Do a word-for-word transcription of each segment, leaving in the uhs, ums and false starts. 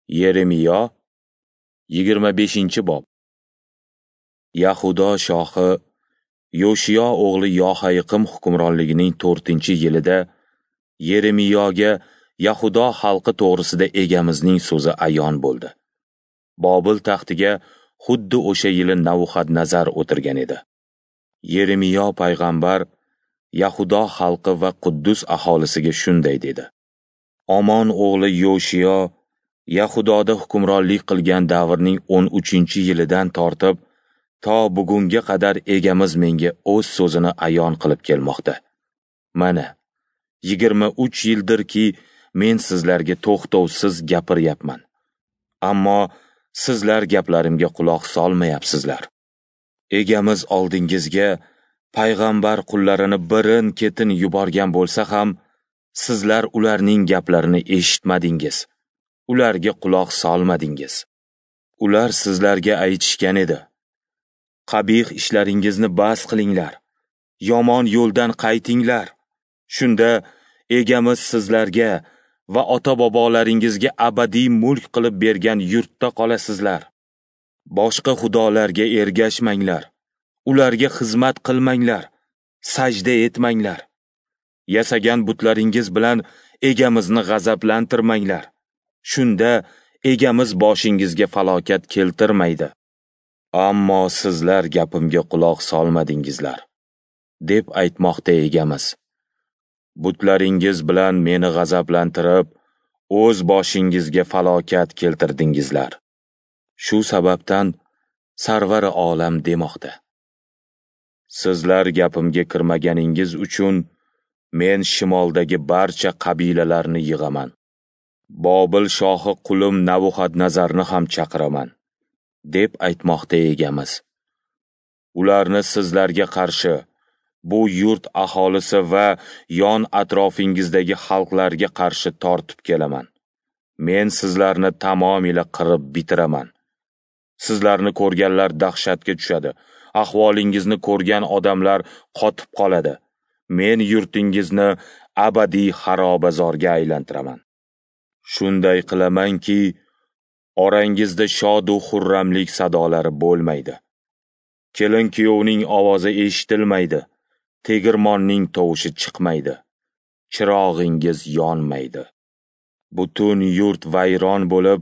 Yeremiyo yigirma beshinchi bob. Yahudo shohi Yoshiyo o'g'li Yohayiqim hukmronligining to'rtinchi yilida Yeremiyoga Yahudo xalqi to'g'risida Egamizning so'zi ayon bo'ldi. Bobil taxtiga xuddi o'sha yili Navuxadnazar o'tirgan edi. Yeremiyo payg'ambar Yahudo xalqi va Quddus aholisiga shunday dedi: Omon o'g'li Yoshiyo Yahudoda hukmronlik qilgan davrning o'n uchinchi yilidan tortib to bugunga qadar Egamiz menga o'z so'zini ayon qilib kelmoqda. Mana yigirma uch yildirki men sizlarga to'xtovsiz gapiryapman. Ammo sizlar gaplarimga quloq solmayapsizlar. Egamiz oldingizga payg'ambar qullarini birin-ketin yuborgan bo'lsa ham, sizlar ularning gaplarini eshitmadingiz. Ularga quloq solmadingiz. Ular sizlarga aytishgan edi: Qabih ishlaringizni bas qilinglar, yomon yo'ldan qaytinglar. Shunda Egamiz sizlarga va ota-bobolaringizga abadiy mulk qilib bergan yurtda qolasizlar. Boshqa xudolarga ergashmanglar, ularga xizmat qilmanglar, sajda etmanglar. Yasagan butlaringiz bilan Egamizni g'azablantirmanglar. Shunda Egamiz boshingizga falokat keltirmaydi. Ammo sizlar gapimga quloq solmadingizlar, deb aytmoqda Egamiz. Butlaringiz bilan meni g'azablantirib, o'z boshingizga falokat keltirdingizlar. Shu sababdan Sarvari olam demoqda: Sizlar gapimga kirmaganingiz uchun men shimoldagi barcha qabilalarni yig'aman. Bobil shohi qulim Navuxadnazarni ham chaqiraman, deb aytmoqda Egamiz. Ularni sizlarga qarshi, bu yurt aholisi va yon atrofingizdagi xalqlarga qarshi tortib kelaman. Men sizlarni tamomila qirib bitiraman. Sizlarni ko'rganlar dahshatga tushadi. Ahvolingizni ko'rgan odamlar qotib qoladi. Men yurtingizni abadiy xarobazorga aylantiraman. Shunday qilamanki, orangizda shodu xurramlik sadolari bo'lmaydi. Kelin-kuyovning ovozi eshitilmaydi, tegirmonning tovushi chiqmaydi, chirog'ingiz yonmaydi. Butun yurt vayron bo'lib,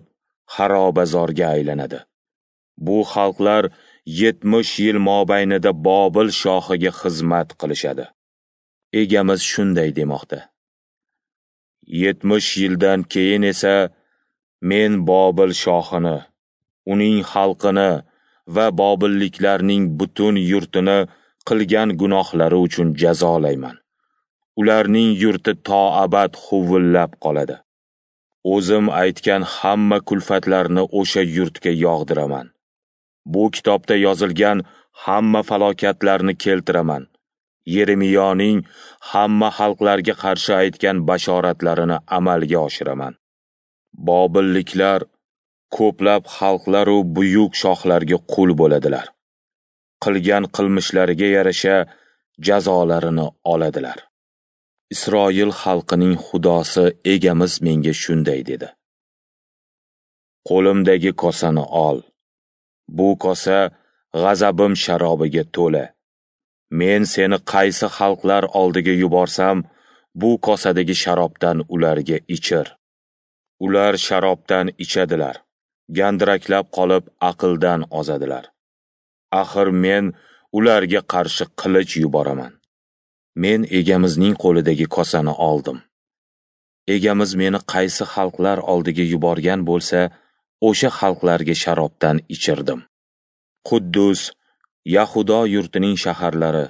xarobazorga aylanadi. Bu xalqlar yetmish yil mobaynida Bobil shohiga xizmat qilishadi. Egamiz shunday demoqda: yetmish yildan keyin esa men Bobil shohini, uning xalqini va bobilliklarning butun yurtini qilgan gunohlari uchun jazolayman. Ularning yurti to abad huvillab qoladi. O'zim aytgan hamma kulfatlarni o'sha yurtga yog'diraman. Bu kitobda yozilgan hamma falokatlarni keltiraman. Yeremiyoning hamma xalqlarga qarshi aytgan bashoratlarini amalga oshiraman. Bobilliklar ko'plab xalqlar u buyuk shohlarga qul bo'ladilar. Qilgan qilmishlariga yarasha jazolarini oladilar. Isroil xalqining Xudosi Egamiz menga shunday dedi: Qo'limdagi kosani ol. Bu kosa g'azabim sharobiga to'la. Men seni qaysi xalqlar oldiga yuborsam, bu kosadagi sharobdan ularga ichir. Ular sharobdan ichadilar, gandiraklab qolib aqldan ozadilar. Axir men ularga qarshi qilich yuboraman. Men Egamizning qo'lidagi kosani oldim. Egamiz meni qaysi xalqlar oldiga yuborgan bo'lsa, o'sha xalqlarga sharobdan ichirdim. Quddus, Yahudo yurtining shaharlari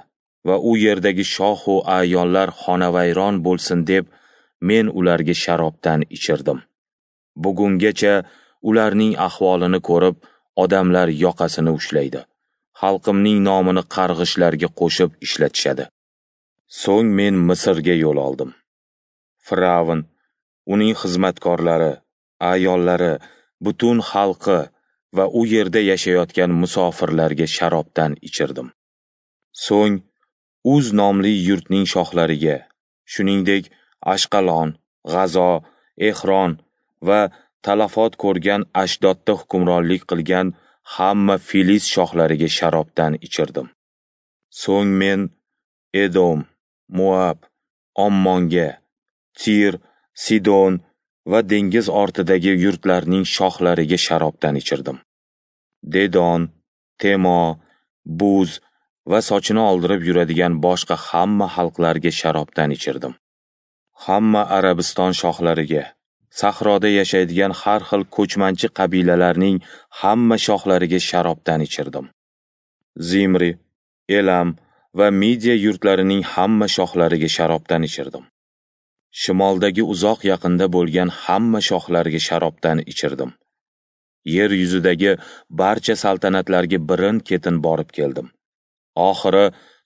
va u yerdagi shoh va ayonlar xonavayron bo'lsin deb men ularga sharobdan ichirdim. Bugungacha ularning ahvolini ko'rib, odamlar yoqasini ushlaydi. Xalqimning nomini qarg'ishlarga qo'shib ishlatishadi. So'ng men Misrga yo'l oldim. Firavn, uning xizmatkorlari, ayollari, butun xalqi va u yerda yashayotgan musofirlarga sharobdan ichirdim. So'ng Uz nomli yurtning shohlariga, shuningdek Ashqalon, G'azo, Ehron va talafot ko'rgan Ashdodda hukmronlik qilgan hamma Filist shohlariga sharobdan ichirdim. So'ng men Edom, Moab, Ommonga, Tir, Sidon va dengiz ortidagi yurtlarning shohlariga sharobdan ichirdim. Dedon, Temo, Buz va sochini oldirib yuradigan boshqa hamma xalqlarga sharobdan ichirdim. Hamma Arabiston shohlariga, sahroda yashaydigan har xil ko'chmanchi qabilalarning hamma shohlariga sharobdan ichirdim. Zimri, Elam va Midiya yurtlarining hamma shohlariga sharobdan ichirdim. Shimoldagi uzoq yaqinda bo'lgan hamma shohlarga sharobdan ichirdim. Yer yuzidagi barcha saltanatlarga birin-ketin borib keldim. Oxiri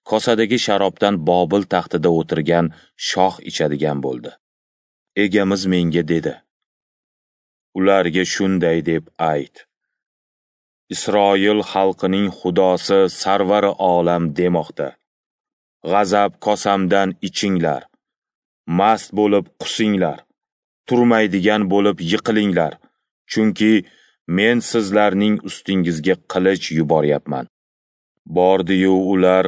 kosadagi sharobdan Bobil taxtida o'tirgan shoh ichadigan bo'ldi. Egamiz menga dedi: ularga shunday deb ayt: Isroil xalqining Xudosi Sarvari olam demoqda: G'azab kosamdan ichinglar, mast bo'lib qusinglar, turmaydigan bo'lib yiqilinglar, chunki men sizlarning ustingizga qilich yuboryapman. Bordi-yu ular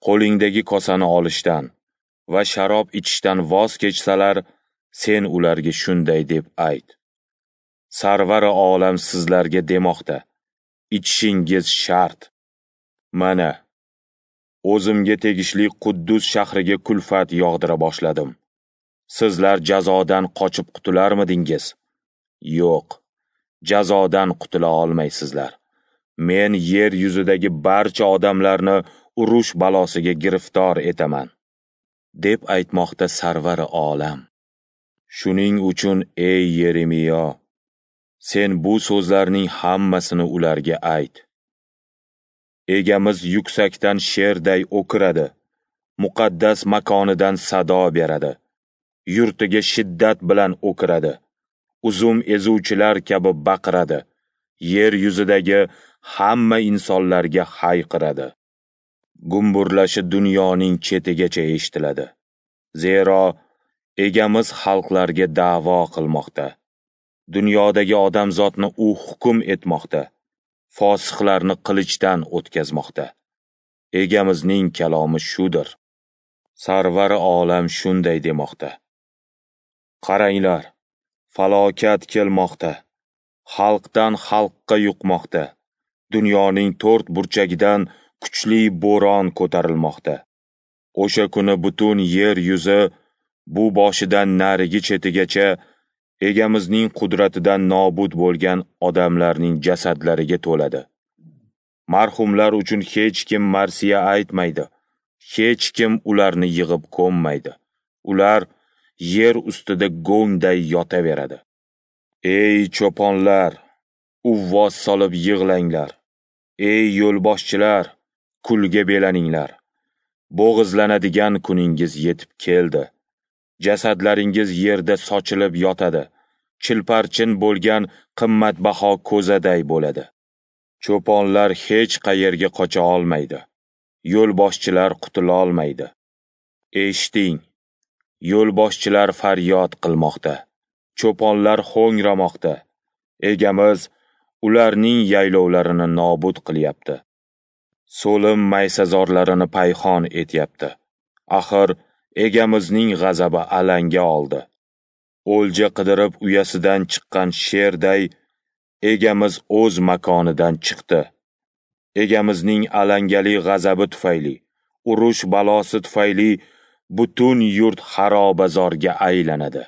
qo'lingdagi kosani olishdan va sharob ichishdan voz kechsalar, sen ularga shunday deb ayt: Sarvari olam sizlarga demoqda: ichishingiz shart. Mana, o'zimga tegishli Quddus shahriga kulfat yog'dira boshladim. Sizlar jazodan qochib qutularmidingiz? Yo'q, jazodan qutula olmaysizlar. Men yer yuzidagi barcha odamlarni urush balosiga giriftor etaman, deb aytmoqda Sarvari olam. Shuning uchun ey Yeremiyo, sen bu so'zlarning hammasini ularga ayt. Egamiz yuksakdan sherday o'kiradi, muqaddas makonidan sado beradi, yurtiga shiddat bilan o'kiradi, uzum ezuvchilar kabi baqiradi, yer yuzidagi hamma insonlarga hayqiradi. Gumburlashi dunyoning chetigacha eshitiladi. Zero egamiz xalqlarga da'vo qilmoqda. Dunyodagi odamzodni u hukm etmoqda, fosiqlarni qilichdan o'tkazmoqda. Egamizning kalomi shudir. Sarvari olam shunday demoqda: Qaranglar, falokat kelmoqda, xalqdan xalqqa yuqmoqda, dunyoning to'rt burchagidan kuchli bo'ron ko'tarilmoqda. O'sha kuni butun yer yuzi bu boshidan narigi chetigacha egamizning qudratidan nobud bo'lgan odamlarning jasadlariga to'ladi. Marhumlar uchun hech kim marsiya aytmaydi, hech kim ularni yig'ib ko'mmaydi. Ular yer ustida go'ngday yotaveradi. Ey cho'ponlar, uvvos solib yig'langlar. Ey yo'lboshchilar, kulga belaninglar. Bo'g'izlanadigan kuningiz yetib keldi. Jasadlaringiz yerda sochilib yotadi, chilparchin bo'lgan qimmatbaho ko'zaday bo'ladi. Cho'ponlar hech qayerga qocha olmaydi, yo'lboshchilar qutula olmaydi. Eshiting, yo'lboshchilar faryod qilmoqda, cho'ponlar ho'ngramoqda. Egamiz ularning yaylovlarini nobud qilyapti. So'lim maysazorlarini payhon etyapti. Axir egamizning g'azabi alanga oldi. O'lja qidirib uyasidan chiqqan sherday egamiz o'z makonidan chiqdi. Egamizning alangali g'azabi tufayli, urush balosi tufayli butun yurt xarobazorga aylanadi.